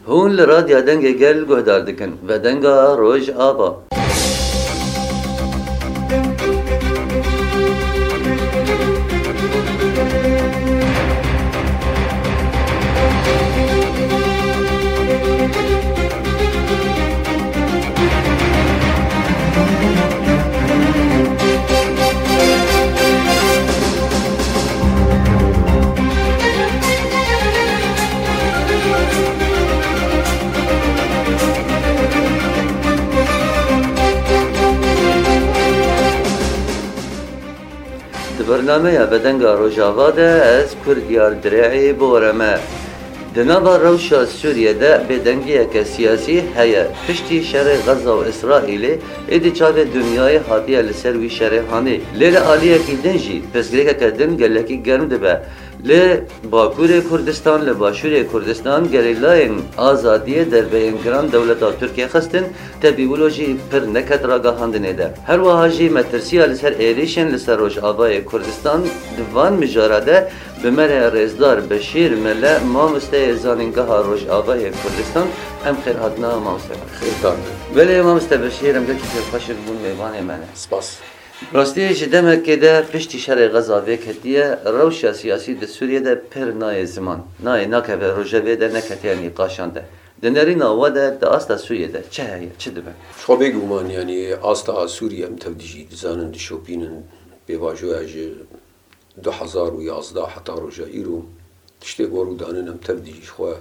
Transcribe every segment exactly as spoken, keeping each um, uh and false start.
Hûn li Radya Dengê Gel guhdar dikin, Vedenga Rojava. Di bernameya Vedenga Rojava de ez Kurdiyar Dirê'ê bi we re me. Di nava rewşa Sûriyê de bêdengiyeke siyasî heye. Piştî şerê Xeza û Îsraîlê, êdî çavê dinyayê hatiye li ser wî şerê hanê. Lê li aliyekî din jî pirsgirêkeke din gelekî germ dibe. Li Bakurê Kurdistan, li Başûrê Kurdistan, gerîlayên azadiyê derbeyên giran dewleta Tirkiyê xistin, tevî wilo jî pir neket ragihandinê de. Her wiha jî metirsiya li ser êrîşên li ser Rojavayê Kurdistan di van mijara de bi me re rêzdar Beşîr Mele, mamosteyê Zanîngeha Rojavayê Kurdistan, em xêr hatina mamoste. Xêr hatin. Belê mamoste Beşîr, em gelkî xêrxweş in bûn mêvanê me ne. Spas. Rastî, ji demekê de piştî şerê Xeza vê ketiye, rewşa siyasî di Sûriyê de pir nayê ziman. Nayê, nakeve rojevê de, neketiye nîqaşan de. Di nerîna we de, di asta Sûriyê de çi heye, çi dibe? Ji xwe bêguman, yanî asta Sûriyê em tev dijî dizanin, dişopînin, pêvajoya ji du hezar û yazdeh heta roja îro tiştê ku rû danin em tev dijî ji xwe.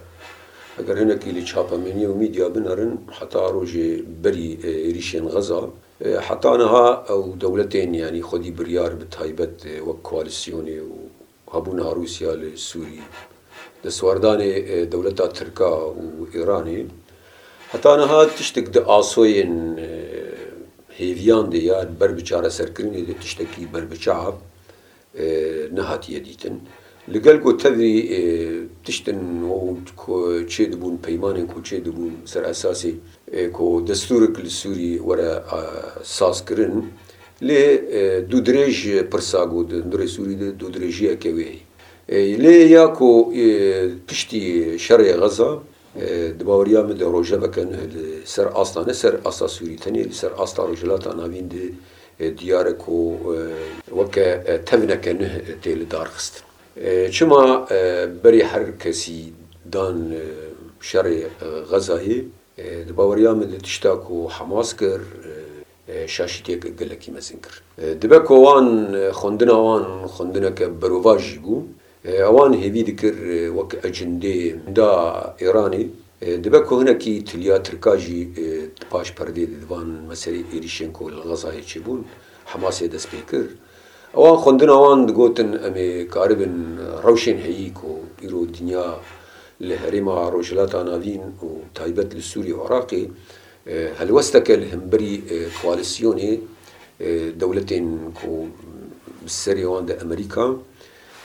Eger hinekî li çapemeniya û mîdya binerin, heta rojê berî, e, êrîşên Xeza, e, heta niha ew dewletên, yanî xwedî biryar bi taybet, e, wek koalîsyonê û hebûna Rûsya li Sûrî, destwerdanê, e, dewleta Tirka û Îranê, heta niha tiştek di asoyên, e, hêviyan de ya ber bi çareserkirinê de tiştekî berbiçav, e, nehatiye dîtin. Li gel ku tevî, e, tiştin û ku çêdibûn, peymanên ku çêdibûn ser esasê, e, ku destûrek li Sûrî were, e, sazkirin, lê, e, dûdirêj pirsa ku di hundirê Sûrî de dûdirêjiyeke wê heye. E, lê ya ku, e, piştî şerê Xeza, E, di baweriya min de rojeveke nuh li ser asta, ne ser asta Sûrî tenê, li ser asta Rojhilata Navîn de, e, diyar e ku, e, weke, e, tevneke nuh tê li dar xistin. E, çima, e, berî her kesî dan, e, şerê, e, Xezayê, e, di baweriya min de tişta ku Hamas kir, e, e, şaşîtiyek gelekî mezin kir. E, dibe ku wan, e, xwendina wan xwendineke berovajî bû. E, ewan hêvî dikir, e, wek ecindê da Îranê, e, dibe ku hinekî tiliya Tirka jî, e, di paş perdê de di van meselê êrîşên ku li Xezayê çêbûn, Hamasê dest pê kir. Ewan xwendina wan digotin, em ê karibin rewşên heyî ku îro dinya li herêma Rojhilata Navîn û taybet li Sûrî û Iraqê, e, helwesteke li hemberî, e, koalîsyonê, e, dewletên ku bi serê wan de Amerîka,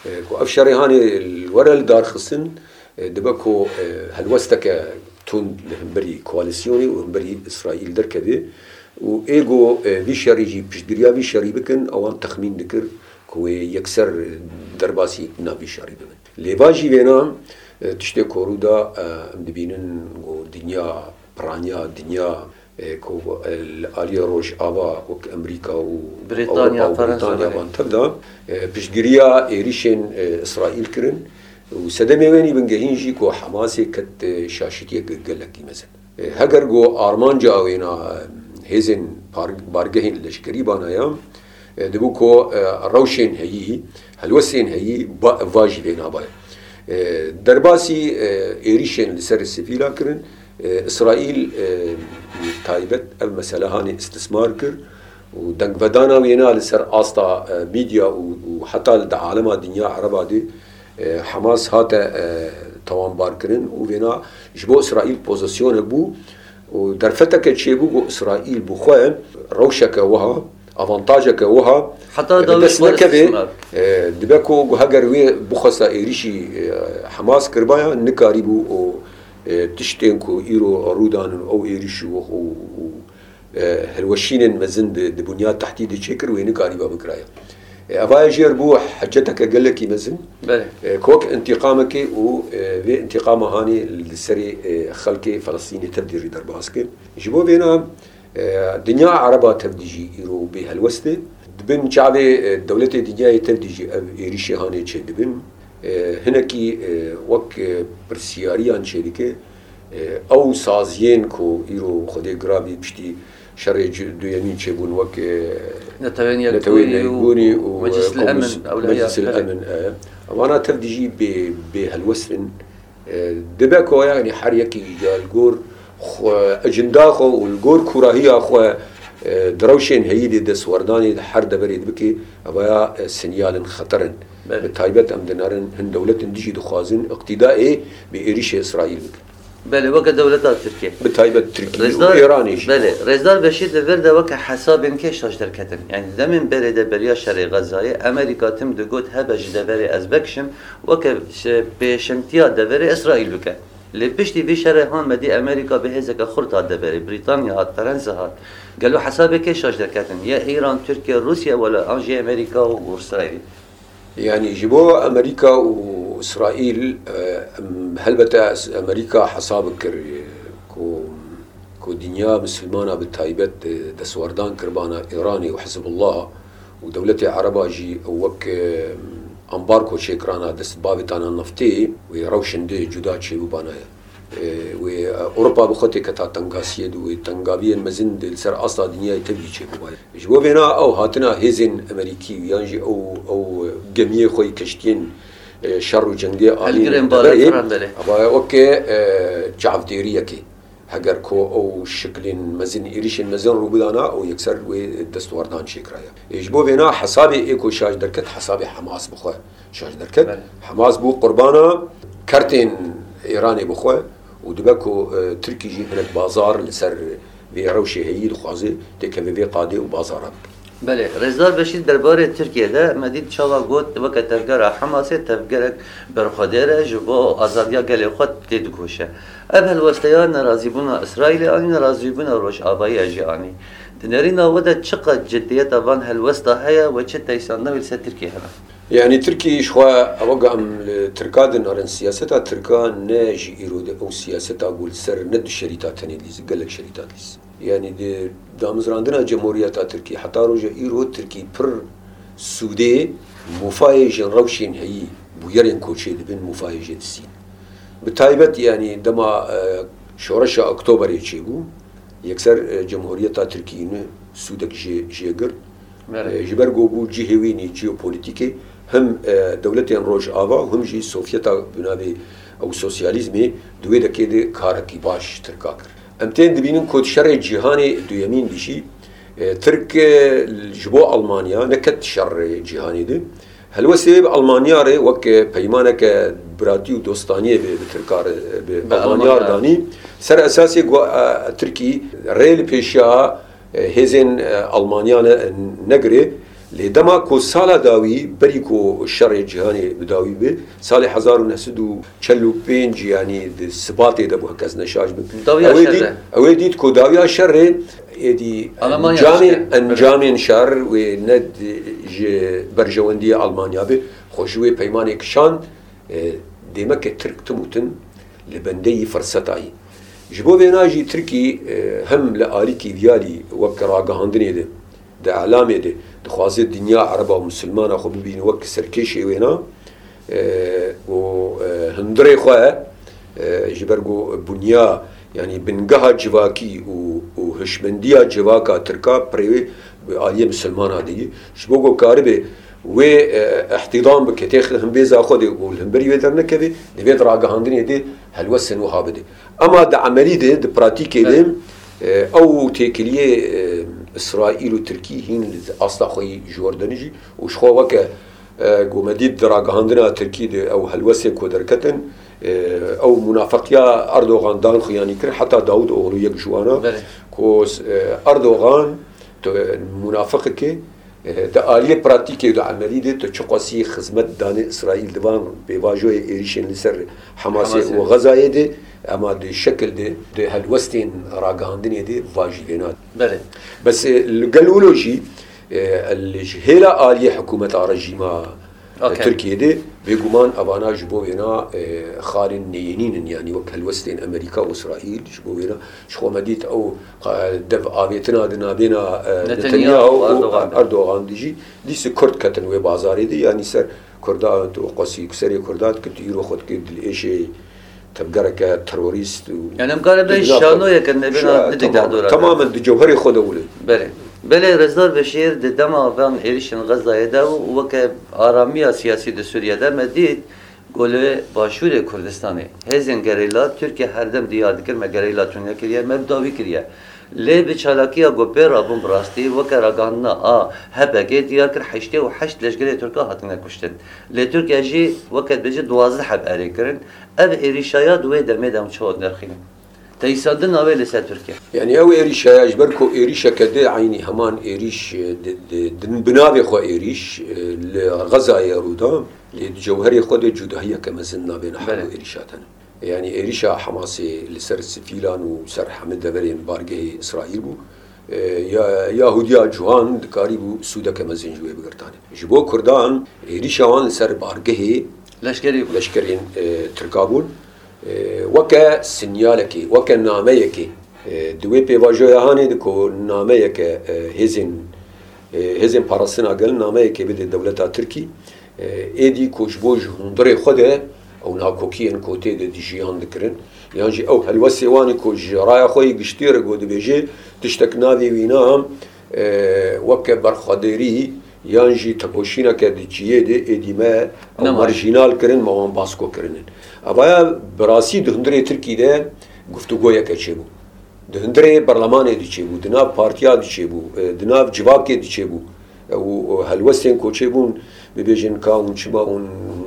e, ku ev şerê hanê li were li dar xistin, e, dibe ku, e, helwesteke tund li hemberî koalîsyonê û hemberî Îsraîl derkeve û ê ku, e, vî şerî jî piştgiriya vî şerî bikin, ewan texmîn dikir ku wê yekser derbasî navî şerî bibin. Lê va jî vêna, e, tiştê ku rû da, e, em dibînin ku dinya, piraniya dinya, e, ku, e, li aliyê Rojava wek Amerîka û Brîtanya, Ewropa û Fransa, Brîtanya belê. Van tev da, e, piştgiriya êrîşên, e, Îsraîl kirin û sedemê wê nî bingehîn jî ku Hamasê ket, e, şaşîtiyek gelekî mezin. E, heger ku armanca wêna, e, hêzên par-, bargehên leşkerî bana ya, e, dibû ku, e, rewşên heyî, helwestên heyî ba-, va jî vê nabayê. E, derbasî, e, êrîşên li ser sivîla kirin, e, Îsraîl, e, taybet ev mesele hanê îstismar kir û dengvedana wêna li ser asta, e, mîdya û, û heta li di alema dinya ereba de, e, Hamas hate, e, tawanbarkirin û vêna ji bo Îsraîl pozîsyonek bû û derfeteke çêbû ku Îsraîl bi xwe rewşeke wiha, avantajeke wiha, Heta e, bi dawî dest xwe nekeve, istismar. E, dibe ku heger wê bixwesta êrîşî, e, Hamas kiribaya, nikarîbû û, e, tiştên ku îro rû danin, ew êrîş û, û, û, e, hilweşînên mezin di, di bunya tehdîdê çêkir, wê nikarîba bikiraya. Evaya jêr bû heceteke gelekî mezin. Belê. E, Kok întîqamekê û, e, vê întîqama hanê li serê, e, xelkê Felestînê tevdî rî derbas kir. Ji bo vêna, e, dinya Ereba tevdî jî îro bê helwest e. Di bin çavê, e, dewletê dinyayê tevdî jî ev êrîşê hanê çêdibin. E, hinekî, e, wek, e, pirsiyariyan çêdike, e, ew saziyên ku îro Xwedê girabî piştî şerê ci-, duyemîn çêbûn wek, e, Netewên Netewên Yekbûnî û Yekbûnî û, Meclis e, el Emin, Komis-, ew li heya Meclis el Emin, e, evana tev dijî bê, bê helwest in. E, dibe ku, yanî, her yekî ya li gor xwe, ecenda xwe û li gor kûrahiya xwe, e, di rewşên heyî de destwerdanê di her deverê de bike, evaya, e, sinyalin xeter in. Belê. Bi taybet em dinerin hin dewletin dijî dixwazin îqtîdaê bi êrîşê Îsraîl bikin. Belê, weke dewleta Tirkiye. Bi taybet Tirkiye û Rêzdar, Îranê jî. Belê, Rêzdar Beşîr li vir de weke hesabên kê şaş derketin. Yanî demên berê de beriya şerê Xezayê, Amerîka tim digot hebe ji deverê ez vekişim, weke şe-, pêşengtiya deverê Îsraîl bike. Lê piştî vî şerê han me dî Amerîka bi hêzeke xurt hat deverê, Brîtanya hat, Ferensa hat. Gelo hesabê kê şaş derketin? Ya Îran, Tirkiye, Rûsya wela an jî Amerîka û Îsraîl? Yanî ji bo Amerîka û Îsraîl, e, em, helbete es-, Amerîka hesab kir, e, ku, ku dinya misilmana bi taybet, e, destwerdan kir bana Îranê û Hizbullah û dewletê Ereba jî ew wek, e, ambargo çêkirana dest bavêtana neftê wê rewşin de cuda çêbûbana ye. E, wê, e, Ewropa bi xwe têketa tengasiyê de, wê tengaviyên mezin de li ser asta dinyayê tevî çêbûbaye. Ji bo vêna ew hatina hêzên Amerîkî yan jî ew, ew gemiyê xwe yî keştiyên, e, şer û cengê anîn Helgirên deverê, balafir em berê. Ava weke, e, çavdêriyekê. Heger ku ew şiklên mezin, êrîşên mezin rû bidana, ew yekser wê destwerdan çêkiraya. E, ji bo vêna hesabê ê ku şaş derket, hesabê Hamas bi xwe şaş derket. Belê. Hamas bû qurbana kertên Îranê bi xwe û dibe ku, e, Tirkî jî hinek bazar li ser vê rewşê heyî dixwaze têkeve vê qadê û bazara bike. Belê, Rêzdar Beşîr derbarê Tirkiye de me dît çawa got, weke tevgera Hamasê tevgerek berxwedêr e, ji bo azadiya gelê xwe têdikoşe. Ev helwesteya nerazîbûna Îsraîlê anî, nerazîbûna Rojavayê jî anî. Di nerîna we de çiqas ciddiyeta van helwesta heye we çi teysandina wî li ser Tirkiye hene? Yanî Tirkî ji xwe, ew wek em li Tirka dinarin, siyaseta Tirka ne ji îro de ew siyaseta ku li ser ne du şerîta tenê dîs, gelek şerîta dîs. Yanî di damizrandina Cemhuriyeta Tirkî heta roja îro Tirkî pir sûdê mûfayê ji rewşên heyî, bûyerên ku çêdibin mûfayê jê distîn. Bi taybet, yanî dema, e, şoreşa Oktoberê çêbû, yekser, e, Cemhuriyeta Tirkî ne sûdek jê, jê girt. Belê. E, ji ber ku bû cihê wî nî jeopolîtîkê, him, e, dewletên Rojava û him jî Sovyeta bi navê ew sosyalîzmê di wê dekê de karekî baş Tirka kir. Em tên dibînin ku di şerê cîhanê duyemîn de jî, e, Tirk, e, ji bo Almanya neket şerê cîhanê de. Helwestê wê bi Almanya re wek, e, peymaneke biratî û dostaniyê bi, bi Tirka re, bi Bi Almanya re Almanya. danî. Ser esasê ku, e, Tirkî rê li pêşiya, e, hêzên, e, Almanya ne, negirê. Lê dema ku sala dawî, berî ku şerê cîhanê bi dawî bi, salê hezar û neh sed û çel û pênc, yanî di Sibatê de bû, heke ez neşaş bim. Dawiya Ew ê şer dît, de. ew ê dît ku dawiya şerê êdî Almanya encamê, işte. encamên şer wê ne di, ji berjewendiyê Almanya be, xwe ji wê peymanê kişand, e, dêmeke Tirk tim û tim li bendeyî firseta yî. Ji bo vêna jî Tirkî, e, hem li alîkî viyalî wek ragihandinê de, di elamê de dixwaze dinya Ereba û Misilmana xwe bibîne wek serkêşê wêna, e, û, e, hundirê xwe, e, ji ber ku bunya, yanî bingeha civakî û, û hişmendiya civaka Tirka pirê wê bi aliyê Misilmana de yî. Ji bo ku karibe wê, e, îhtîdam bike, têxe himbêza xwe de û li himberî wê dernekeve, divê di ragihandinê de helwestên wiha bide. Ema di emelî de, di pratîkê de, Evet. e, ew têkiliyê, e, Îsraîl û Tirkî hîn li asta xwe yî ji wir denijî û ji xwe weke, e, ku me dît di ragihandina Tirkî de ew helwestên ku derketin, e, ew munafeqiya Erdogan dan xuyanî kir, heta Davutoglu yek ji wana Belê. ku, e, Erdogan tu munafeqekê, e, di aliyê pratîkê û di emelî de tu çiqasî xizmet danê Îsraîl di van pêvajoyê êrîşên li ser Hamasê Hamasê. û Xezayê de, ema di şekil de, di helwestên ragihandinê de va jî vêna. Belê. Bes, e, li gel wilo jî, E, el ji hêla aliyê hikûmeta rejîma, e, Okey. Tirkiyê de, bêguman evana ji bo wêna, e, xalên neyênîn in, yanî wek helwestên Amerîka û Îsraîl, ji bo wêna ji xwe me dît ew, e, dev avêtina di nabêna, e, Netanyahu Netanyahu û û Erdogan de. Erdogan de jî, dîse Kurd ketin wê bazarê de, yanî ser Kurda, tu qasî serê Kurda dikir, tu îro xwe dikir dilêşê tevgereke terorîst û Yani em kare bê şanoyeke nebêna Şa-, didik tamam, dahdoran. Tamamen di cewherê xwe de wile. Belê. Belê, Rezdar Beşîr di dema van êrişên Xezayê de û weke aramiya siyasî di Sûriye de me dît ku li Başûrê Kurdistanê hêzên gerîla Tirkiye her dem diyar dikir, me gerîla tune kiriye, me bi dawî kiriye. Lê bi çalakiya ku pê rabûn bi rastî weke ragihandina a H P G diyar kir, heştê û heşt leşgerê Tirka hatine kuştin. Lê Tirkiye jî weke dibêje duwazdeh heb erê kirin. Ev êrîşa ya di wê demê de em çawa dinirxînin? Teyîsandina wê li ser Tirkiye. Yanî ew êrîşa ya ji ber ku êrîşeke di eynî heman êrîş, e, di, di, di bi navê xwe êrîş, e, li Xezayê rû da, lê di cewherê xwe de cudahiyeke mezin nabêne her Belê. du êrîşa tene. Yanî êrîşa Hamasê li ser sivîlan û ser hemî deverên bargehê Îsraîl bû. E, ya, Yahudiya ciwan dikarîbû sûdeke mezin ji wê bigirtane. Ji bo Kurdan êrîşa wan li ser bargehê Leşkerî bû. leşkerên, e, Tirka bûn. E, weke sinyalekê, weke nameyekê, e, di wê pêvajoya hanê de ku nameyeke, e, hêzên, e, hêzên parastina gel nameyekê bide dewleta Tirkî, e, êdî ku ji bo ji hundirê xwe de ew nakokiyên ku tê de dijiyan dikirin, yan jî ew helwestê wan ê ku ji raya xwe yê giştî re ku dibêje tiştek navê wîna, e, weke berxwedêrî yan jî tekoşîneke di cihê de êdî me ew Nema. marjînal kirin, me wan basko kirinin. Evaya bi rastî di hundirê Tirkî de guftûgoyeke çêbû. Di hundirê berlemanê diçêbû, di nav partiya diçêbû, e, di nav civakê diçêbû. E, û, û helwestên koçê bûn, bibêjin ka hûn çima hûn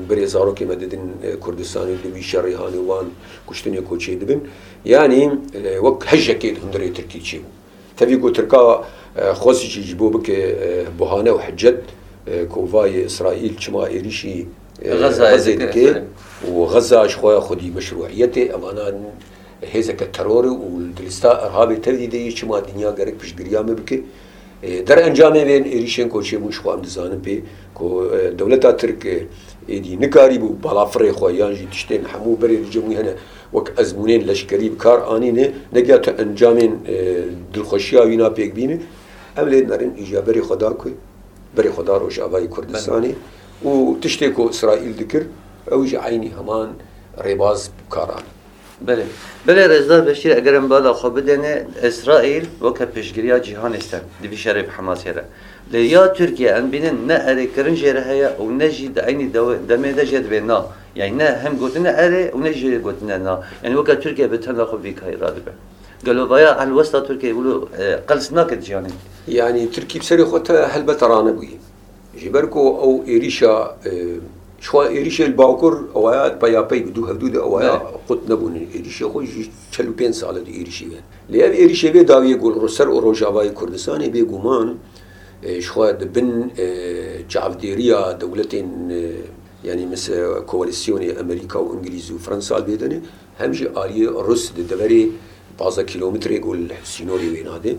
berê zarokê me didin, e, Kurdistanê, di wî şerê hanê wan kuştinê koçê dibin. Yanî, e, wek hejekê di hundirê Tirkî çêbû. Tevî ku Tirka, e, xwest jî ji bo bike, e, buhane û hicet, e, ku vayê Îsraîl çima êrîşî, e, Xezayê Xezê dike, dike, belê. Û Xeza ji xwe ya xwedî meşrûiyetê, evana hêzeke terorê û di lista Irhabê tevî de yê, çima dinya gerek piştgiriya me bike. E, derencamê vên êrîşên ku çêbûn ji xwe em dizanin pê ku, e, dewleta Tirk, e, êdî nikarîbû balafirê xwe yan jî tiştên hemû berê li cem wî hene wek ezmûnên leşkerî bi kar anîne, negiya tu encamên, e, dilxweşiya wîna pêk bîne. Em lê nerin îja berê xwe da ku, berê xwe da Rojavayê Kurdistanê û tiştê ku Îsraîl dikir, ew jî eynî heman rêbaz bi kar anî. Belê. Belê, Rêzdar Beşîr, eger em bala xwe bidêne, Îsraîl weke piştgiriya cîhanê ser di vî şerê bi Hemasê re. Lê ya Tirkiye em bînin ne erêkirin jê re heye û ne jî di eynî dewe-, demê de jê dibê na. Yani ne hem gotine erê û ne jî gotine na. Yani weke Tirkiye bi tena xwe vî kayê radibe. Gelo vaya helwesta Tirkiye wilo, e, qels nake di cîhanê? Yani Tirkî bi serê xwe te helbet ranebûyî. Ji ber ku ew êrîşa, e, ji xwe êrîşê li Bakur ewaya peyapey bi dû hevdû de ewaya Belê. qut nebûne. Êrîşê xwe ji çel û pênc sal e di êrîşê ve. Lê ev êrîşê vê dawiyê ku li ser û Rojavayê Kurdistanê bêguman, e, ji xwe di bin, e, çavdêriya dewletên, e, yanî mis-, e, koalîsyonê Amerîka û Îngilîz û Fransa li vê de ne, hem jî aliyê Rus di deverê pazdeh kîlometrê ku li sînorê wêna de.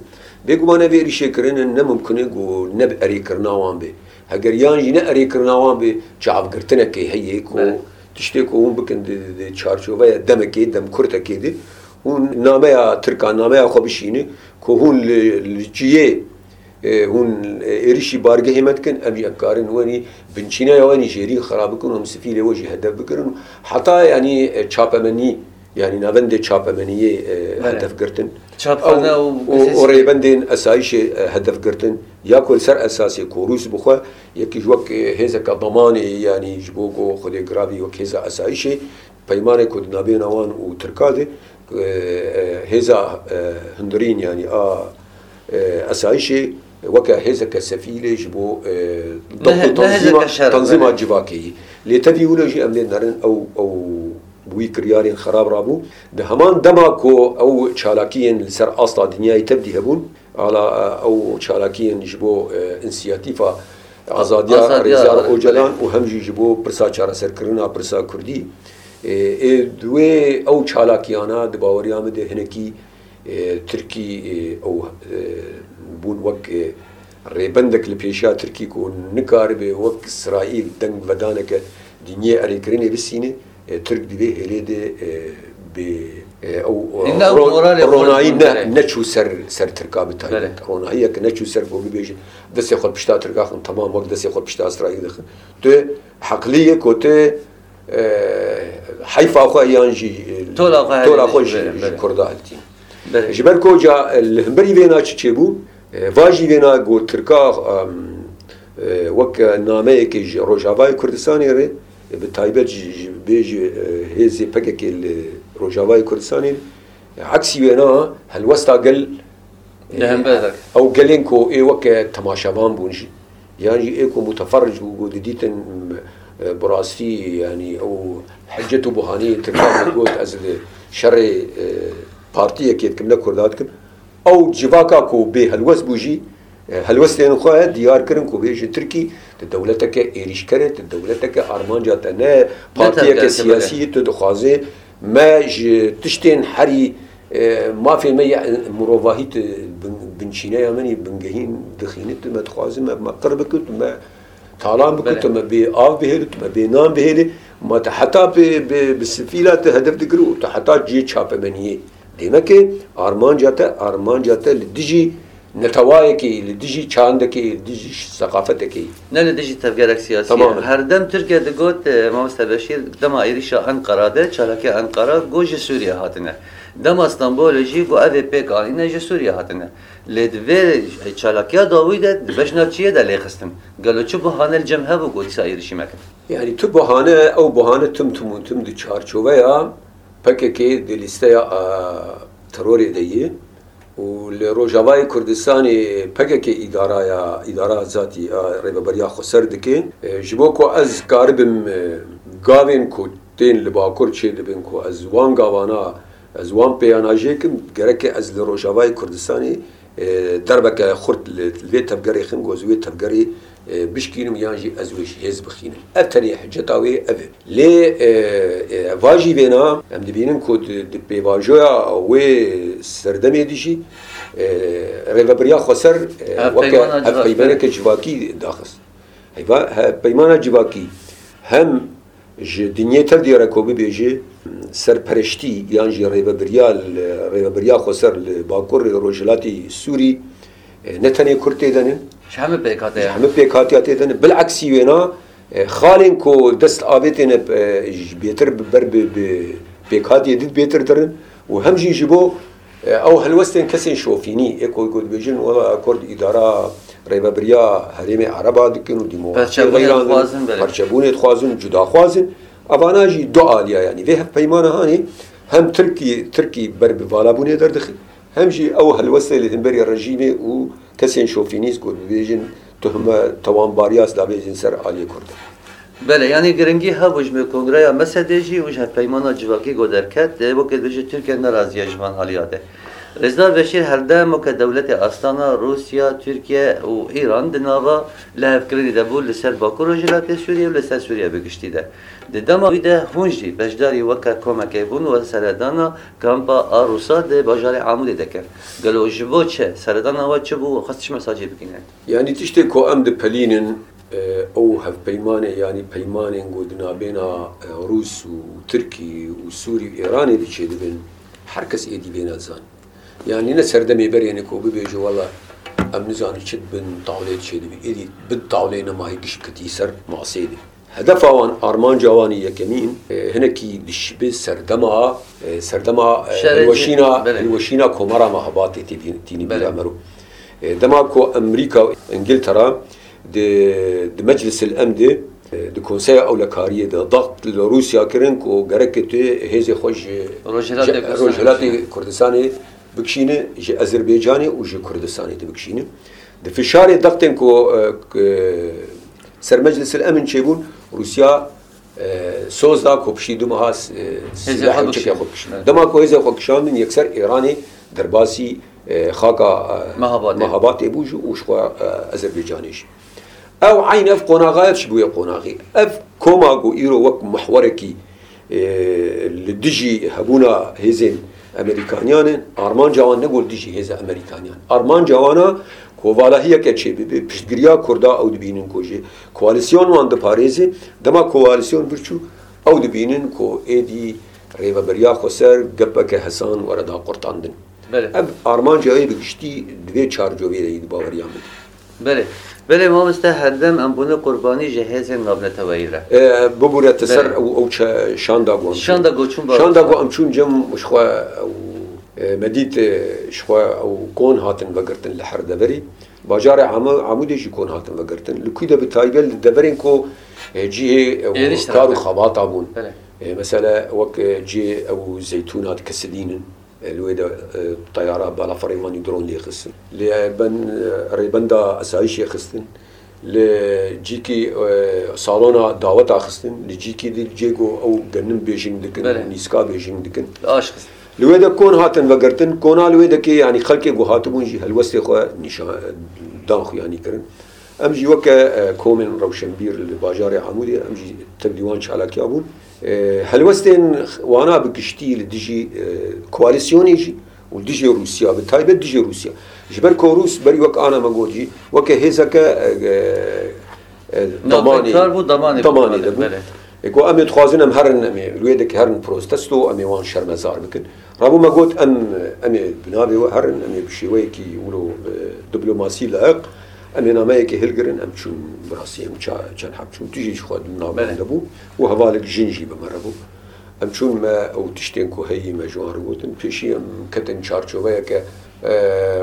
Bêguman ev êrîşê kirinin ne mimkun e ku ne bi erêkirina wan be. Heger yan jî ne erêkirina wan be, çavgirtinekê heye ku Belê. tiştê ku hûn bikin di, di, di çarçoveya demekê, demkurtekê de, hûn nameya Tirkan, nameya xwe bişîne ku hûn li, li cihê, e, hûn, e, êrîşî bargehê me dikin, em jî em karin wenî binçîneya wenî jêrî xirab bikin û em sifîlê we jî hedef bikirin. Heta yanî, e, çapemenî, yanî navendê çapemeniyê, e, Belê. hedef girtin. Çapxane Ew, û û, û rêbendên esayîşê, e, hedef girtin. Ya ku li ser esasê ku Rûs bi xwe, yekî ji wek, e, hêzeke damanê, yanî ji bo ku Xwedê giravî wek hêza esayîşê, peymanê ku di nabêna wan û Tirka de, e, e, hêza, e, hundirîn, yanî a, e, esayîşê weke hêzeke sefîlê ji bo, e, Ne dewlet he-, û ne tanzîma, hêzeke şer, tanzîma belê. civakê yî. Lê tevî wilo jî em lê nerin ew, ew bi wî kiryarên xerab rabû. Di heman dema ku ew çalakiyên li ser asta dinyayê tevdî hebûn, ala, e, ew çalakiyên ji bo, e, însiyatîfa azadiya Azadiya Rêzdar Rêzdar Ocalan û hem jî ji bo pirsa çareserkirina pirsa Kurdî, e, ê di wê ew çalakiyana di baweriya min de hinekî, e, Tirkî, e, ew, e, bûn wek, e, Rêbendek li pêşiya Tirkî ku nikaribe wek Îsraîl deng vedaneke dinyê erêkirinê bisîne, e, Tirk di vê hêlê de, e, bê, e, ew, e, Illa ro-, moralê xwe ronahî ne, bingire. Neçû ser, ser Tirka bi taybet. Belê. Ronahiyek neçû ser ku bibêje, destê xwe pişta Tirka xin, temam wek destê xwe pişta Îsraîl dixin. Tu heqlî ye ku tu, e, heyfa xwe yan jî, e, Tola xwe tola xwe hevdî ji, ji, ji belê. Kurda hiltî. Belê. Ji ber ku ca, e, li hemberî vêna çi çêbû? E, va jî vêna got Tirka, em, e, wek nameyekê ji Rojavayê Kurdistanê re, e, bi taybet ji, ji, bê ji, e, hêzê P K K li Rojavayê Kurdistanê, e, eksî wêna helwesta gel, e, Li hember de. Ew gelên ku ê weke temaşevan bûn jî, yan jî ê ku muteferric bû, ku didîtin, e, bi rastî, yanî ew hicet û buhaniyên Tirkan digot, ez li şerê, e, partiyekê dikim, ne Kurda dikim. Ew civaka ku bê helwest bû jî, e, helwestên xwe diyar kirin ku bê ji Tirkî, tu dewleteke êrîşker e, tu dewleteke armanca te ne, partiyeke tevgerke, siyasî, belê. Tu dixwazê me ji tiştên herî, e, mafê me ya mirovahî, tu bin-, binçîneya min î bingehîn dixînî, tu me dixwazî me, me qir bikî, tu me talan bikî, belê. Tu me bê av bihêlî, tu me bê nan bihêlî, ma tu heta bi, bi, bi sifîla tu hedef digirî û tu heta cihê çapemeniyê. Demeke armanca te, armanca te li dijî netewayekê, li dijî çandekê, li dijî seqafetekê. Ne li dijî tevgerek siyasî ye. Temamen. Herdem Tirkiye digot, e, Mamoste Beşîr, dema êrîşa Enqera de, çalakiya Enqera, got ji Sûriye hatine. Dema Stenbolê jî got, ev ê pêk anîne, ji Sûriye hatine. Lê di vê çalakiya dawî de, di bejna çiyê de lêxistin. Gelo çi buhane li cem hebû ku dîsa êrîşî mekin? Yanî tu buhane, ew buhane tim tim û tim di çarçoveya P K K di lîsteya, a, terorê de ye û li Rojavayê Kurdistanê P K K îdaraya, îdara zatî, a, rêveberiya xweser dike. E, ji bo ku ez karibim, e, gavên ku tên li Bakur çêdibin ku ez wan gavana, ez wan pêyana jê kim, gereke ez li Rojavayê Kurdistanê, e, derbeke xurt li, li vê tevgerê xim, ku ez wê tevgerê, e, bişkînim yan jî ez wê ji hêz bixînim. Ev tenê hiceta wê ev e. Lê, e, e, va jî vêna em dibînin ku di, di pêvajoya wê serdemê de jî, e, rêveberiya xweser, e, weke hevpeymaneke civakî daxist. Hevpeymana civakî hem ji dinyê tev diyar e ku bibêje serpereştî yan jî rêvebiriya li, rêvebiriya xweser li Bakurê Rojhilatî Sûrî, e, ne tenê Kurd tê de ne. Ji hemî pêkhatiya. Ji hemî pêkhatiya tê de ne. Bileksî wêna, e, xalên ku dest avêtê ne, e, ji bêtir bi ber bi, bi pêkhatiyê din bêtir dirin û hem jî ji bo, e, ew helwestên kesên şofînî, ê ku, ku dibêjin, wela Kurd îdara rêvebiriya herêmê Ereba dikin û demokrasiyê Perçebûnê veyran dikin, dixwazin, belê. Perçebûnê dixwazin, cudaxwazin. Evana jî du aliya, yanî vê hevpeymana hanê hem Tirkî, Tirkî ber bi valabûnê derdixin, hem jî ew helwestê li hemberî rejîmê û kesên şofînîst ku dibêjin tuhme tewanbariya ez dabêjin ser aliyê Kurdan. Belê, yanî giringî hebû ji me kongreya mesedê jî û ji hevpeymana civakî ku derket, e, weke dibêje Tirkiye nerazî ye ji van aliya de. Rêzdar Beşîr, her dem weke dewletê astana Rûsya, Tirkiye û Îran di nava lihevkirinê de bû li ser Bakur Rojhilatê Sûriyê û li ser Sûriye bi giştî de. Di dema wî de hûn jî beşdarî weke komekê bûn û seredana kampa a Rûsa di bajarê Amûdê de kir. Gelo ji bo çi? Seredana we çi bû? Xwest çi mesajê bigihîne? Yanî tiştê ku em dipelînin, e, ew hevpeymanê, yanî peymanên ku di navbêna, e, Rûs û Tirkî û Sûrî û Îranê de çêdibin, her kes êdî vê nezan. Yanî ne serdemê berê ne ku bibêje, wela em nizanin çi bin tawlê çêdibî. Êdî bin tawlê nema hê giş ketî ser masê de. Hedefa wan, armanca wan yekemîn, e, hinekî dişibe serdema, e, serdema, e, Şerê hilweşîna, cî-, belê. Hilweşîna Komara Mehabatê tê vî-, tînî Belê. Bîra me ro. E, dema ku Amerîka, Îngiltera di, di Meclisil Emn de, e, di Konseya Ewlekariyê de daxt li Rûsya kirin ku gereke tu hêzê xwe ji Rojhilatê ji Kurdistanê Rojhilatê bikişîne. Kurdistanê bikişîne, ji Ezerbaycanê û ji Kurdistanê de bikişîne. Di fişarê daxtên ku, e, k-, ser Meclisil Emn çêbûn, Rûsya, e, soz da ku piştî du meha, e, Hêzê silah xwe û çekê bikişîne. Xwe bikişîne. Dema ku hêzê xwe kişandin, yekser Îranê derbasî, e, xaka, e, Mehabatê. Mehabatê bû jî û ji xwe, e, Ezerbaycanê jî. Ew eyn ev qonaxa ev çi bûye qonaxî. Ev koma ku îro wek mihwerekî, e, li dijî hebûna hêzên Amerîkaniyan e, armanca wan ne ku li dijî hêza Amerîkaniyan. Armanca wan e Kovalahiyeke çêbibe, piştgiriya Kurda ew dibînin ku jî koalîsyon wan diparêze, dema koalîsyon birçû ew dibînin ku êdî rêveberiya xweser gepeke hesan were daqurtandin. Belê. Ev armanca wê bi giştî di vê çarçoveyê de yî di baweriya min de. Belê. Belê mamoste, herdem em bûne qurbanî ji hêzên navneteweyî re. E, bibûre te ser Belê. ew, ew çe-, şanda ku em çûn. Şanda ku çûn Şanda ku bawer. em çûn cem ji xwe ew, e, me dît, e, ji xwe ew kon hatin vegirtin li her deverî. Bajarê Amû-, Amûdê jî kon hatin vegirtin. Li kû de bi taybet li deverên ku, e, cihê, e, Êrîş kar û terape. xebata bûn. Belê. E, mesela wek, e, cihê ew zeytûna dikesidînin. E, li wê de, e, teyara balafirê wanî dron lê xistin. Li ben, e, rêbenda esayîşê xistin. Li cîkî, e, salona daweta xistin. Li cîkî di cê ku ew genim bêjing dikin, Belê. nîska bêjing dikin. Aş xist. Li wê de kon hatin vegirtin, kona li wê de kê, yanî xelkê ku hatibûn jî helwestê xwe nîşan, dan xuyanî kirin. Em jî weke, e, komên rewşenbîr li bajarê Amûdê, em jî tevlî wan çalakiya bûn. E, helwestên wana bi giştî li dijî, e, koalîsyonê jî û dijî Rûsya, bi taybet dijî Rûsya. Ji ber ku Rûs berî wek ana me got jî, weke hêzeke, e, e, e, Navbeynkar damanê, bû, damanê bû, damanê de bû. belê. E, ku em ê dixwazin em herin, em ê li wê dekî herin protesto, em ê wan şermezar bikin. Rabû me got, em, em ê bi navê we herin, em ê bi şêweyekî wilo, e, diplomasî layiq, em ê nameyekê hilgirin, em çûn bi rastî em ça-, çend heb çûn, tu jî ji xwe di navê Belê. de bû û hevalek jin jî bi me re bû. Em çûn me ew tiştên ku heyî me ji wan re gotin, pêşî em ketin çarçoveyeke, e,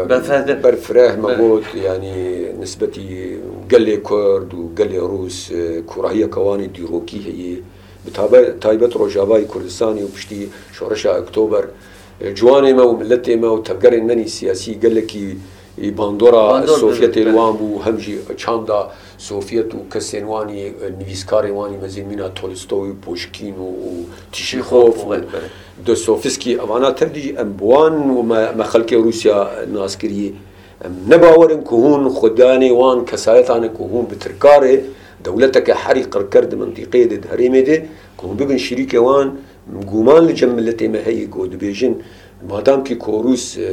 Berfireh. berfireh me Belê. got, yanî nisbetî gelê Kurd û gelê Rûs, e, kûrahiyeke wan ê dîrokî heye. Bi tabe-, taybet Rojavayê Kurdistanê û piştî Şoreşa Oktober, e, ciwanê me û miletê me û tevgerên me nî siyasî gelekî, e, bandora Bandor Sovyetê li bibin, wan bû, hem jî çanda Sovyet û kesên wanî, e, nivîskarên wanî mezin mîna Tolstoy, Pushkin û, û Tişîxov û Belê. Dostoyevskî, evana tev dijî em bi wan û me, me xelkê Rûsya nas kiriye. Em ne bawer in ku hûn xwedanê wan kesayetan in ku hûn bi tirkarê dewleteke herî qirker di mintîqeyê de, di herêmê de, ku hûn bibin şirîkê wan. Guman li cem miletê me heye ku dibêjin, madam kî ku Rûs, e,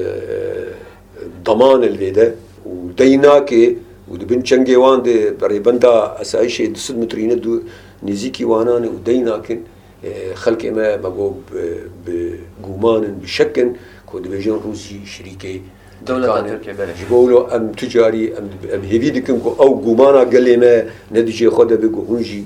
daman li vê de û dey nake û di bin çengê wan de rêbenda esayîşê du sed metrî ne du nêzîkî wanan e û dey nakin, e, xelkê me, me got, bi, bi guman in, bi şek in ku dibêjin Rûs jî şirîkê Dewleta Tirkan in. Tirkiyê, belê. Ji bo wilo em tu carî em, em hêvî dikin ku ew gumana gelê me ne di cihê xwe de be, ku hûn jî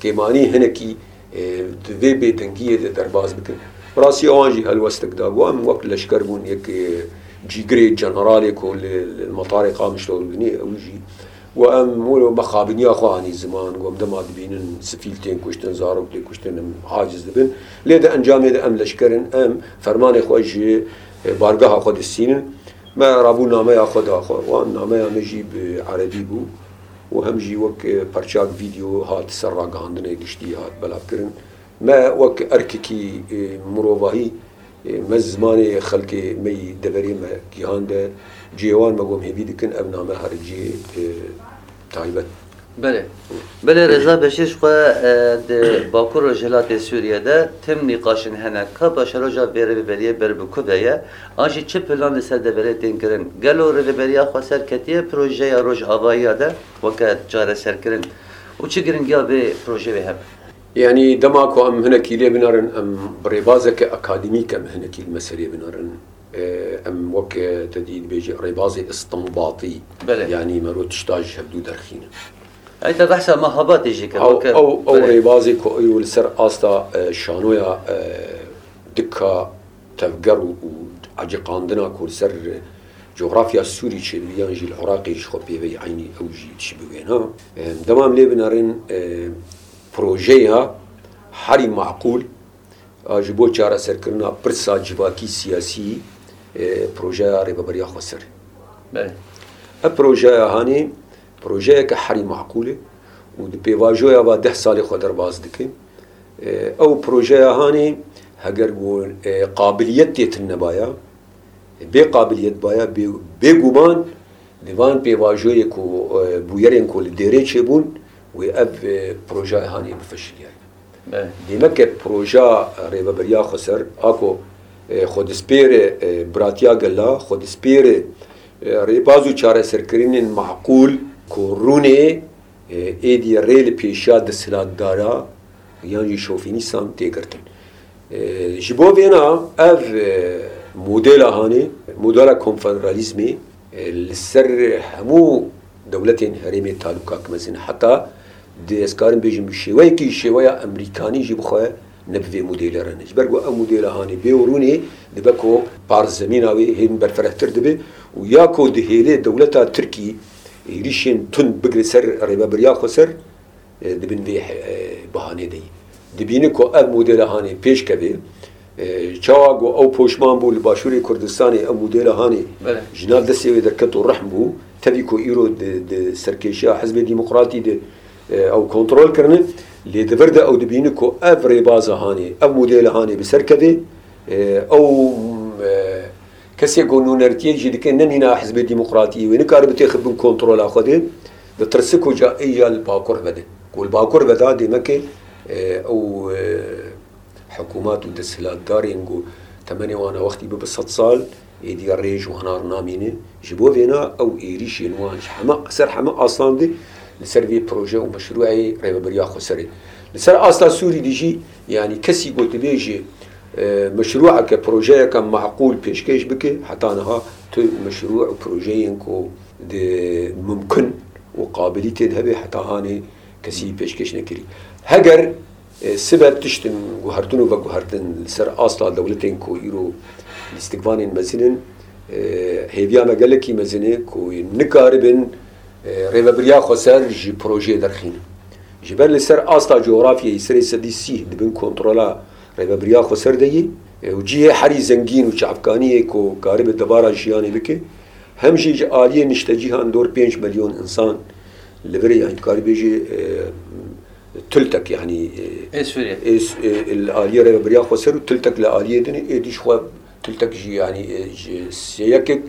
kêmanî hinekî, e, di vê bêdengiyê de derbas bikin. Bi rastî wan jî helwestek da. Got, em wek leşker bûn, yek, e, cîgirê generalê ku li, li metarê Qamişlo dibînî, ew jî Got, em wilo mexabiniya xwe anî ziman, got, em dema dibînin sifîl tên kuştin, zarok tê kuştin, em aciz dibin. Lê di encamê de em leşker in, em fermanê xwe ji, e, bargeha xwe distînin. Me rabû nameya xwe da xwe. Wan nameya me jî bi erebî bû û hem jî wek, e, perçak vîdeo hat ser ragihandinê giştî hat belavkirin. Me wek erkekî, e, mirovahî, e, me zimanê xelkê me yî deverê me gihande cihê wan, me got em hêvî dikin ev name here cihê, e, taybet. Belê. Belê, Reza Beşîr, ji xwe, e, di Bakur Rojhilatê Sûriye de tim nîqaşin hene. Ka paşeroja vê rêveberiyê ber bi ku ve ye? An jî çi plan li ser deverê tên kirin? Gelo rêveberiya xweser ketiye projeya Rojavayî de weke çareserkirin? Û çi giringiya vê projeyê hebe? Yanî dema ku em hinekî lê binerin, em bi rêbazeke akademîk em hinekî li meselê binerin. E, em wek, e, te dî dibêje rêbazê îstînbatî. Belê. Yanî mero tişta ji hevdû derxînin. Ey te behsa Mehabatê jî kir, Ew, weke, ew, ew belê. rêbazê ku ew li ser asta, e, şanoya, e, dika tevger û, û eciqandina ku li ser cografya Sûrî çêdibî yan jî li Iraqê ji xwe pêveyî eynî ew jî tişî bi wêna. E, dema em lê binerin, e, projeya herî maqûl a ji bo çareserkirina pirsa civakî siyasî, e, projeya Rêveberiya Xweser. Belê. Ev projeya hanê projeyeke herî maqûl e û di pêvajoya va deh salê xwe derbas dike. E, ew projeya hanê heger ku, e, qabiliyet tê tune baya, bê qabiliyet baya, bê, bêguman di van pêvajoyê ku, e, bûyerên ku li dêrê çêbûn, wê ev, e, projeya hanê bifeşiliyayê. Belê. Dêmeke proja Rêveberiya Xweser, a ku, e, xwe dispêre, e, biratiya gela, xwe dispêre, E, rêbaz û çareserkirinên maqûl ku rûnê, e, êdî rê li pêşiya desthilatdara yan jî şovînîstan tê girtin. E, ji bo vêna ev, e, modela hanê, modela konfederalîzmê, e, li ser hemû dewletên herêmê talûkak mezin e. Heta di, ez karim bêjim, bi şêweyekî, şêweya Emerîkanî jî bixwe ne bi vê modêlê re ne. Ji ber ku ev modêla hanê bê û rûnê dibe ku parzemîna wê hên berfirehtir dibe û ya ku dihêle dewleta Tirkî êrîşên tund bigre ser rêvebiriya xweser, e, di bin vê, e, bihanê de ye. Dibîne ku ev modela hanê pêş keve, e, çawa ku ew poşman bû li Başûrê Kurdistanê, ev modela hanê Belê. ji nav destê wê derket û rehm bû, tevî ku îro di, di serkêşiya Hizbê Demokratî de, e, ew kontrol kirine, lê di vir de ew dibîne ku ev rêbaza hanê, ev modela hanê bi ser keve, e, ew, e, kesê ku nûnertiyê jî dike ne mîna Hizbê Demokratî, wê nikare bitêxe bin kontrola xwe de, ditirse ku ca ê ya li bakur vede. Ku li bakur veda dêmeke, e, ew, e, hikûmat û desthilatdarên ku temenê wan a wextî bibe sed sal, êdî rê ji wana re namîne. Ji bo vêna ew êrîşên wan ji heme, ser heme aslan de li ser vê proje û meşrûeyê rêveberiya xweserê. Li ser asta Sûrî de jî, yanî kesî ku dibêje, e, meşrûeke, projeyeke maqûl pêşkêş bike, heta niha tu meşrû û projeyên ku di mumkin û qabiliyetê de hebe heta hanê kesî pêşkêş nekirî. Heger, e, sibe tiştin guhertin û veguhertin li ser asta dewletên ku îro lîstikvanên mezin in, e, hêviya me gelekî mezin e ku nikaribin, e, rêvebiriya xweser ji projeyê derxînin. Ji ber li ser asta cografyayê serê sedî sîh di bin kontrola rêvebiriya xweser de yî, e, û cihê herî zengîn û çavkaniyê ku karibe debara jiyanê bike, hem jî ji aliyê niştecîhan dor pênc milyon însan li vir e, yanî dikarî bêjî, e, tultek, yanî, e, Ê Sûriyê. ê S-, e, li aliyê rêvebiriya xweser û tultek li aliyê din e, êdî ji xwe tultek jî, yanî, e, ji sêyekek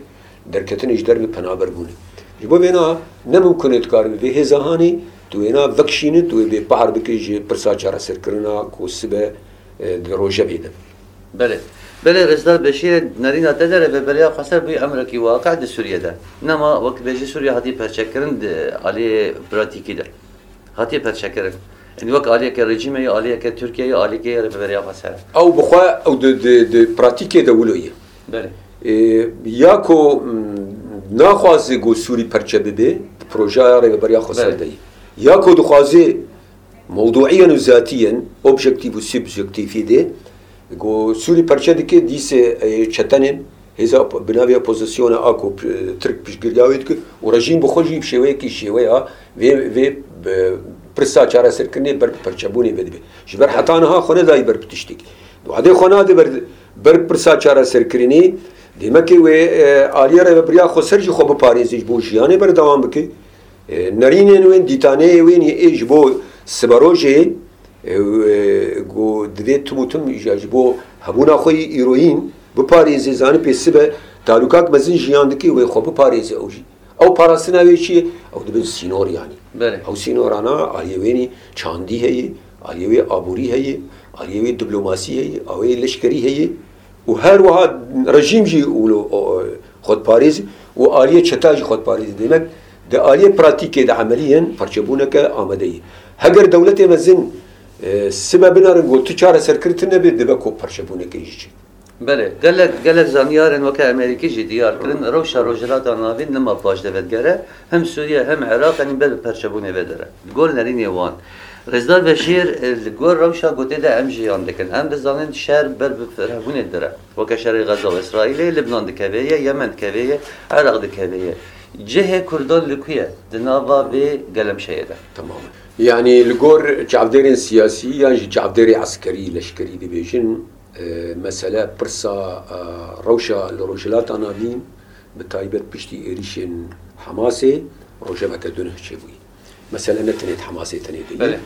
derketinê ji derve penaber bûne. Ji bo vêna ne mimkun e dikarî vê hêza hanê tu wêna vekişîne, tu wê bêpar bike ji pirsa çareserkirina ku sibe, e, di rojevê de. Belê. Belê, Rêzdar Beşîrê, nerîna te de rêveberiya xweser bûye emrekî waqe di Sûriyê de. Nema wek bêjî Sûriye hatiye perçekirin di aliyê pratîkî de. Hatiye perçekirin. Yanî wek aliyeke rejîmê ye, aliyeke Tirkiye ye, aliyeke rêveberiya xweser e. Ew bi xwe, ew di, di, di pratîkê de wilo ye. Belê. Ê, ya ku, mm, naxwaze ku Sûrî perçe bibe, di projeya rêveberiya xweser Belê. de ye. Ya ku dixwaze mewduîyen û zatîyen, objektîf û subjektîfî de, ku Sûrî perçe dike, dîse, e, çetenên hêza op-, bi navê opozisyona a ku p-, Tirk piştgiriya wê dike û rejîm bi xwe jî bi şêweyekî şêweya vê, vê, e, pirsa çareserkirinê ber bi perçebûnê ve dibe. Ji ber heta niha xwe nedayî ber bi tiştekî. Wadê xwe nade ber, ber pirsa çareserkirinê, dêmekê wê, e, aliyê rêvebiriya xweser jî xwe biparêze ji bo jiyanê berdewam bike. E, nerînên wên, dîtaneyê wên yê ê ji bo siberojê, e, e, ku divê tim û tim ji, ji bo hebûna xwe yî îroyîn biparêze, zanî pê sibe talûkak mezin jiyan dike, wê xwe biparêze ew jî. Ew parastina wê çi ye? Ew dibin sînor yanî. Belê. Ew sînorana aliyê wênî çandî heye, aliyê wê aborî heye, aliyê wê diplomasî heye, awê leşkerî heye. Û her wiha rejîm jî wilo, o, o, xwe diparêzî û aliyê çeta jî xwe diparêzî. Demek di aliyê pratîkê de emeliyen parçebûneke amade ye. Heger dewletê mezin, e, sibe binerin ku tu çareserkirin tune bê, dibe ku parçebûneke jî çê. Belê, gelek, gelek zanyarên weke Amerîkî jî diyar kirin, rewşa Rojhilata Navîn nema paşde vedigere, hem Sûriye hem Iraq, yanî ber bi perçebûnê vedere. Li gor nerînê wan. Rêzdar Beşîr, e, li gor rewşa gotê de em jiyan dikin. Em dizanin şer ber bi firehbûnê dire. Weke şerê Xeza û Îsraîlê, Libnan dikeve ye, Yemen dikeve ye, Iraq dikeve ye. Cihê Kurdan li ku ye? Di nava vê gelemşeyê de. Tamam. Yanî li gor çavdêrên siyasî yan jî çavdêrê eskerî, leşkerî dibêjin, e, mesele pirsa, e, rewşa li Rojhilata Navîn, bi taybet piştî êrîşên Hamasê rojeveke dunuh çêbûyî. Mesele ne tenê di Hamasê tenê de ye. Belê.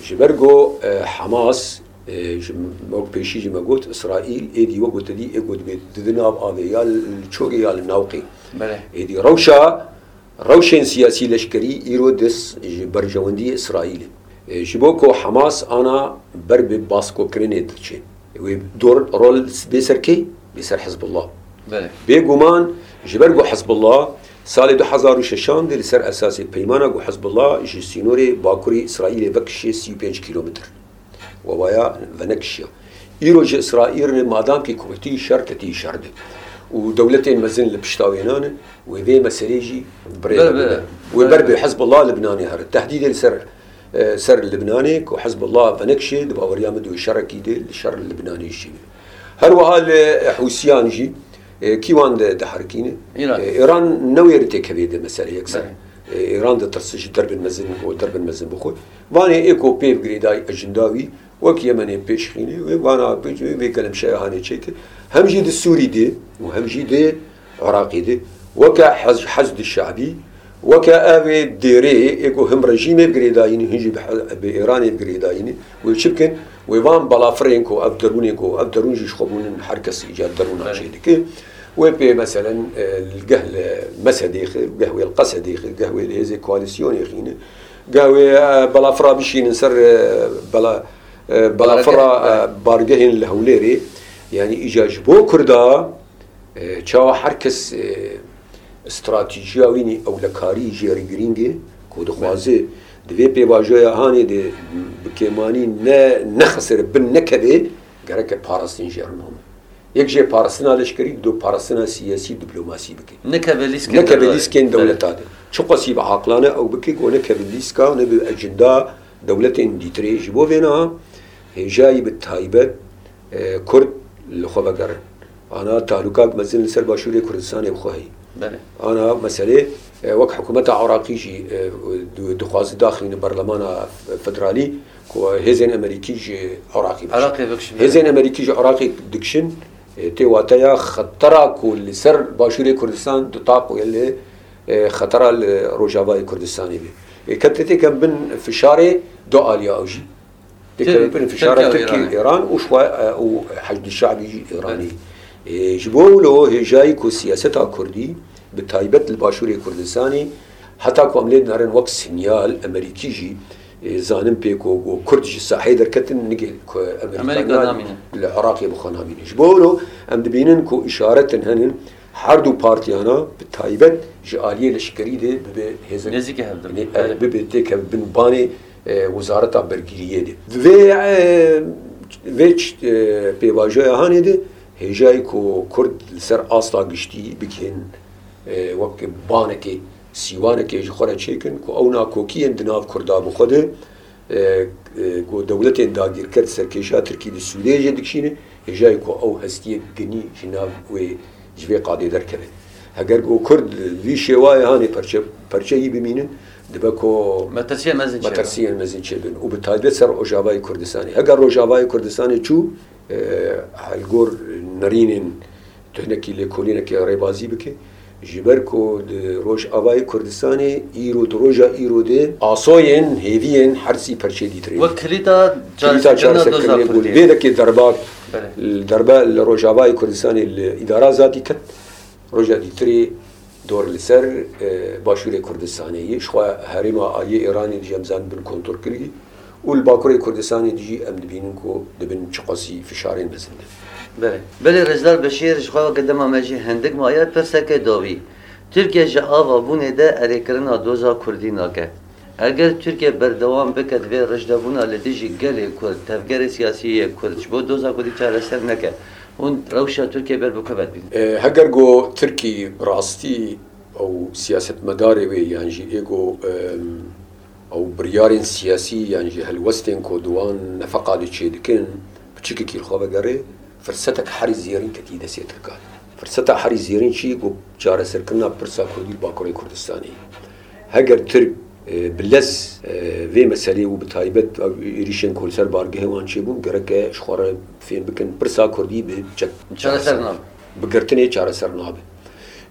Ji ber ku, e, Hamas, e, ji, wek pêşî jî me got, Îsraîl êdî wek gotedî ê ku dibê di, di nav avê ya li çorê ya li navqê. Belê. Êdî rewşa, rewşên siyasî leşkerî îro dest ji berjewendiyê Îsraîlê. E, ji bo ku Hamas ana ber bi baskokirinê diçe. Wê dor rol bê ser kê? Bê ser Hizbullah. Belê. Bêguman Ji ber ku Hizbullah salê du hezar û şeşan de li ser esasê peymana ku Hizbullah ji sînorê bakurê Îsraîlê vekişiye sî û pênc kîlometr. Wewaya venekişiya. Îro ji Îsraîlê madamkî ku ketî şer, ketî şer de. Û dewletên mezin li pişta wêna ne, wê vê meselê jî bi rê Ber bi, nebe. Wê ber ber bi bi. Hizbullah Libnanê here. Tehdîdê li ser, e, ser Libnanê ku Hizbullah venekişê, di baweriya min de wê şerekî de li şer Libnanê jî be. Her wiha li Hûsiyan jî, e, kî wan de diherikîne? Îran. E, Îran newêre têkevê di meselê yekser. Belê. E, Îran ditirse ji derbên mezin û derbên mezin bixwe. Vanê ê ku pê girêdayî ejinda wî, wek Yemenê pêşxînê, wê vana vê gelemşeya hanê çêke. Hem jî di Sûrî de û hem jî di Iraqê de. Weke Hez-, Hezd Şe'bî, weke ev ê dêrê ê ku him rejîmê bi girêdayî ne, hin jî bi he-, bi Îranê bi girêdayî ne. Wê çi bikin? Wê van balafirên ku ev derûnê ku ev derûn jî ji xwe bûnin, her kes îcar derûna Belê. çê dike. Wê pê meselen, e, geh li Mesedê xir, geh wê li Qesedê xir, geh wê li hêzê koalîsyonê xîne. Geh wê, e, balafira bişînin ser, e, bela-, e, balafira, Bargeh, e, bargehên li Hewlêrê. Yani îcar ji bo Kurda, e, çawa her kes, e, stratejiya wî nî ewlekarî jê re girîng e, ku dixwaze di vê pêvajoya hanê de bi kêmanî ne, nexisire bin nekeve, gereke parastin jê re name. Yek jê parastina leşkerî, du parastina siyasî, diplomasî bike. Nekeve lîskên Nekeve derbarê. lîskên Belê. dewleta de. Çiqasî bi aqilane ew bike, ku nekeve lîska, nebe ejenda dewletên dîtirê. Ji bo vê niha hêjayî bi taybet, e, Kurd li xwe vegerin. Ana talûkak mezin li ser Başûrê Kurdistanê bi xwe heye. Belê. Ana meselê, e, wek hikûmeta Iraqî jî, e, di-, dixwaze daxîne berlemana federalî, ku hêzên Amerîkî ji Iraqê bikişin. Iraqê bikişin, Hêzên belê. Amerîkî ji Iraqê dikişin, e, tê wateya xetera ku li ser Başûrê Kurdistan ditaqûye li, e, xetera li Rojavayê Kurdistanê be. E, kete têke bin fişarê du aliya ew jî. Têke Tê-, bin fişara Tirkiye û Tirkî, Îranê. Îran û xwe, e, û Hezd Şe'bî jî Îranî. Belê. E, ji bo wilo hêjayî ku siyaseta Kurdî, bi taybet li Başûrê Kurdistanê, heta ku em lê dinerin wek sinyal Amerîkî jî, e, zanin pê ku, ku Kurd ji sahê derketin, nigê ku Amerîka Amerîka namîne. li Iraqê bi xwe namîne. Ji bo wilo em dibînin ku îşaretin henin, her du partiyana bi taybet ji aliyê leşkerî de bibe hêzek Nêzîkî hev de. ne-, Belê. bibe têkevin banê, e, Wezareta Bergiriyê de. Vê, e, vê ç-, e, pêvajoya hanê de hêjayî ku Kurd li ser asta giştî bigihên, e, wek banekê, sîwanekê ji xwe re çêkin ku ew nakokiyên di nav Kurda bi xwe de, e, e, ku dewletên dagîrker serkêşa Tirkî di Sûdê jê dikişîne, hêjayî ku ew hestiyek ginî ji nav wê, ji vê qadê derkeve. Heger ku Kurd vî şêwayê hanê perçe, perçeyî bimînin, dibe ku Metirsiyên mezin çêbin. metirsiyên mezin çêbin û bi taybet ser Rojavayê Kurdistanê. Heger Rojavayê Kurdistanê çû, e, li gor nerînên tuhnekî lêkolînekê rêbazî bike, ji ber ku di Rojavayê Kurdistanê îro, di roja îro de asoyên hêviyên her sî perçê dîtirê. Wek kilîta Kilîta çareserkirina çareserkirinê doza bû. Kurdî. Vê dekê derba, Belê. derbe li Rojavayê Kurdistanê li îdara zatî ket. Roja dîtirê dor li ser, e, Başûrê Kurdistanê ye. Ji xwe herêma aliyê Îranê dijî em zanin bin kontrol kirî. Û li Bakurê Kurdistanê dijî em dibînin ku dibin çiqasî fişarên mezin de. Belê. Belê Rêzdar Beşîr, ji xwe weke dema me jî hindik maye, pirseke dawî. Tirkiye ji ava bûnê de erêkirina doza Kurdî nake. Eger Tirkiye berdewam bike di vê rijdebûna li dijî gelê Kurd, tevgerê siyasî yê Kurd ji bo doza Kurdî çareser neke, hûn rewşa Tirkiye ber bi ku ve dibînin? E, heger ku Tirkî rastî ew siyasetmedarê wê yan jî ê ku, em, ew biryarên siyasî yan jî helwestên ku di wan nefeqa de çêdikin, piçikekî li xwe vegerê, firsetek herî zêrîn ketî destê Tirkan. Firseta herî zêrîn çi ku çareserkirina pirsa Kurdî li Bakurê Kurdistanê. Heger Tirk, e, bi lez, e, vê meselê û bi taybet ev êrîşên ku li ser bargehê wan çêbûn, gereke ji xwe re fêm bikin pirsa Kurdî bi çek Çareser nabe. bi girtinê çareser nabe.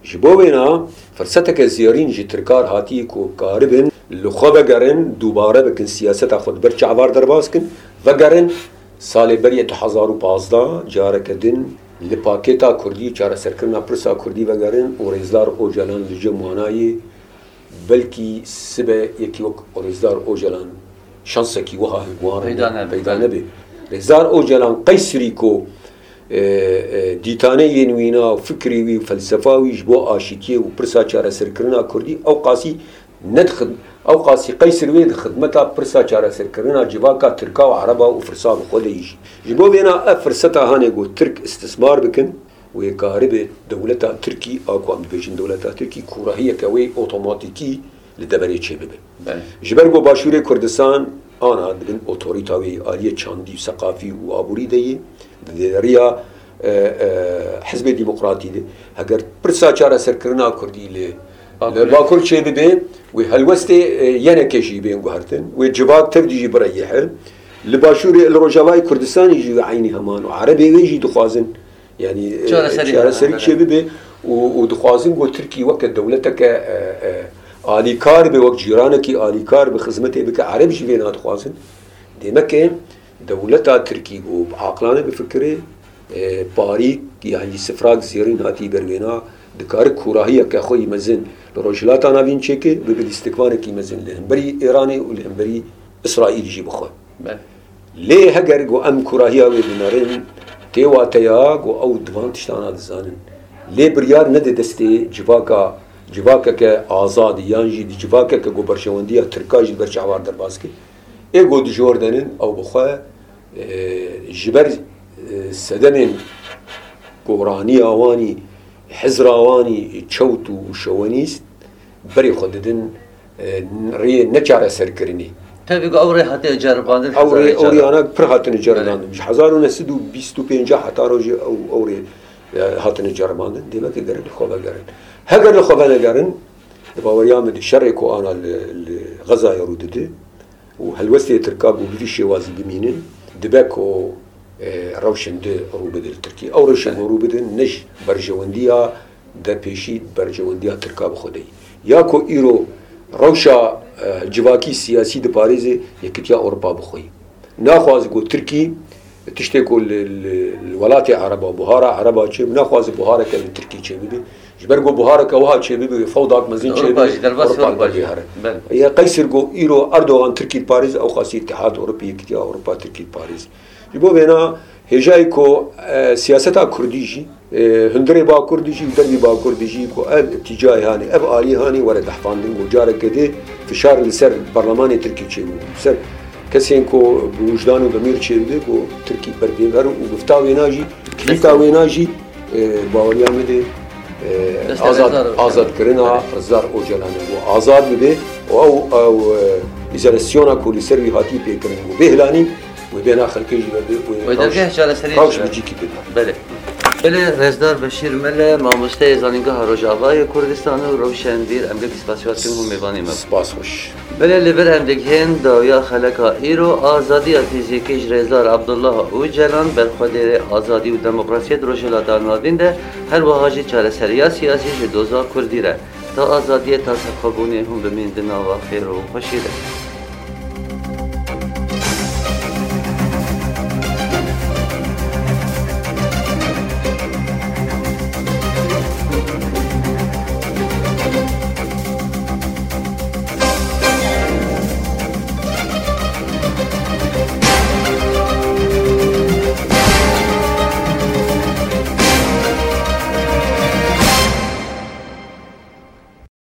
Ji bo wêna firseteke zêrîn ji Tirkar hatî ku karibin li xwe vegerin, dubare bikin, siyaseta xwe di ber çavar derbas kin, vegerin salê berî du hezar û pazdeh careke din li pakêta Kurdî, çareserkirina pirsa Kurdî vegerin û Rêzdar Ocalan li cem wana ye. Belkî sibe yekî wek Rêzdar Ocalan şansekî wiha wan Peyda nebe. peyda nebe. Rêzdar Ocalan qeysirî ku e, e, dîtaneyên wîna û fikrê wî û felsefa wî ji bo aşîtiyê û pirsa çareserkirina Kurdî ew qasî ne di xid-, ew qasî qeysir wê di xidmeta pirsa çareserkirina civaka Tirka û Ereba û firsa bi xwe de yî jî. Ji bo vêna ev firseta hane ku Tirk istismar bikin, wê karibe dewleta Tirkî, a ku em dibêjin dewleta Tirkî, kûrahiyeke wê otomatîkî li deverê çêbibe. Belê. Ji ber ku Başûrê Kurdistan ana dibin otorîta wê aliyê çandî û seqafî û aborî de yê, di dêriya, e, e, Hizbê Demokratî de, heger pirsa çareserkirina Kurdî li, li Bakur. Bakur çêbibe, wê helwestê, e, Y N K jî bên guhertin, wê civak tevdî jî bireyihe. Li Başûrê, li Rojavayê Kurdistanê jî wê eynî heman û Erebê wê jî dixwazin. Yanî, e, Çareserî çareserî hebe, çêbibe û, û dixwazin ku Tirkî weke dewleteke, e, e, alîkar be, wek cîranekî alîkar bi xizmetê bike, Ereb jî vêna dixwazin. Demeke dewleta Tirkî ku bi aqilane bifikire, e, parîk yan jî sifrak zêrîn hatî ber wêna, dikare kûrahiyeke xwe yî mezin li Rojhilata Navîn çêke, bibe lîstikvanekî mezin li hemberî Îranê û li hemberî Îsraîl jî bixwe. Belê. Lê heger ku em kûrahiya wê binerin, tê wateya ku ew di van tiştana dizanin. Lê biryar nede destê civaka, civakeke azadî yan jî di civakeke ku berjewendiya Tirka jî ber çavar derbas kir. Ê ku di jor denin, ew bi xwe, e, ji ber, e, sedemên goraniya wanî, hizra wanî çewt û şovenîst berê xwe didin, e, rê neçareserkirinê. Tabii ku ew rê hatiye ceribandin. Ew rê, ew rê ana pir hatine ceribandin. Belê. Ji hezar û neh sed û bîst û pênc heta rojê ew, ew rê, e, hatine ceribandin. Demek e gerin li xwe vegerin. Heger li xwe venegerin, di baweriya min de şerê ku ana li, li Xezayê rû dide û helwestê Tirka ku bi vî şêwazî bimînin, dibe ku, e, rewşên di rû bide li Tirkiyê. Ew rewşên ku rû bidin ne ji berjewendiya derpêşî berjewendiya Tirka bi xwe de yî. Ya ku îro rewşa, e, civakî siyasî diparêze Yekîtiya Ewropa bi xwe yî. Naxwaze ku Tirkî tiştê ku li, li, li welatê Ereba, buhara Ereba çêbibe, naxwaze buhareke li Tirkî çêbibe. Ji ber ku buhareke wiha çêbibe, wê fewdak mezin çêbibe, Ewropa jî, derbasî Ewropa Ewropa jî. Bihare. Belê. Ya qeysir ku îro Erdogan Tirkî diparêze, ew xasî Îtihad Ewropî, Yekîtiya Ewropa Tirkî diparêze. Ji bo vêna hêjayî ku, e, siyaseta Kurdî jî, e, hundirê Bakur dijî û dervî Bakur dijî ku ev îtîcayê hanê, ev aliyê hanê were dehfandin, ku careke dê fişar li ser Parlemanê Tirkî çêbû, li ser kesên ku bi wijdan û demîr çêdibe, ku Tirkî ber pê verin û gifta wêna jî, kilîta wêna jî, e, baweriya min de, e, Destê azad, Rêzdar Ocalan. Azadkirina Rêzdar Ocalan e, ku azad bibe û ew, ew, e, îzolasyona ku li ser wî hatî pêkirin, ku bêhlanî, wê bêhna xelkê jî vebe, wê Wê rewş, dergeh çareseriyê rewş jî bi be. Cîkî bibe. Belê. Belê, Rêzdar Beşîr Mele, mamosteyê Zanîngeha Rojavayê Kurdistan û rewşenbîr, em gelkî spasiya dikin hûn mêvanê me bûn. Spas xweş. Belê, li vir em digihên dawiya xeleka îro, azadiya fîzîkî ji Rêzdar Abdullah Ocalan, berxwedêrê azadî û demokrasiyê di Rojhilata Navîn de, her wiha jî çareseriya siyasî ji doza Kurdî re. Ta azadiyê, ta serxwebûnê hûn bimîn di nava xêr û xweşî de.